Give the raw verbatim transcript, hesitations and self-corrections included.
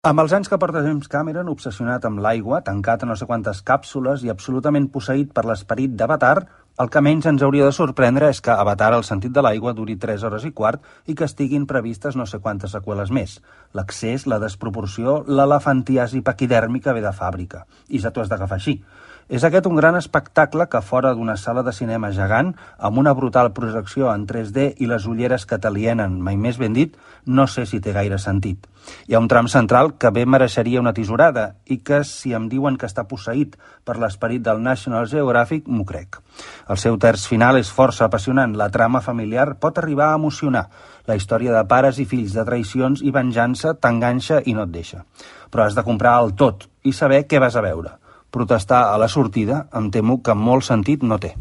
Amb els anys que porta James Cameron, obsessionat amb l'aigua, tancat a no sé quantes càpsules i absolutament posseït per l'esperit d'Avatar, el que menys ens hauria de sorprendre és que Avatar, el sentit de l'aigua, duri tres hores i quart i que estiguin previstes no sé quantes seqüeles més. L'accés, la desproporció, l'elefantiasi paquidèrmica ve de fàbrica. I ja t'ho has d'agafar així. És aquest un gran espectacle que fora d'una sala de cinema gegant, amb una brutal projecció en tres D i les ulleres que t'alienen, mai més ben dit, no sé si té gaire sentit. Hi ha un tram central que bé mereixeria una tisorada i que, si em diuen que està posseït per l'esperit del National Geographic, m'ho crec. El seu terç final és força apassionant. La trama familiar pot arribar a emocionar. La història de pares i fills, de traïcions i venjança t'enganxa i no et deixa. Però has de comprar el tot i saber què vas a veure. Protestar a la sortida, em temo que molt sentit no té.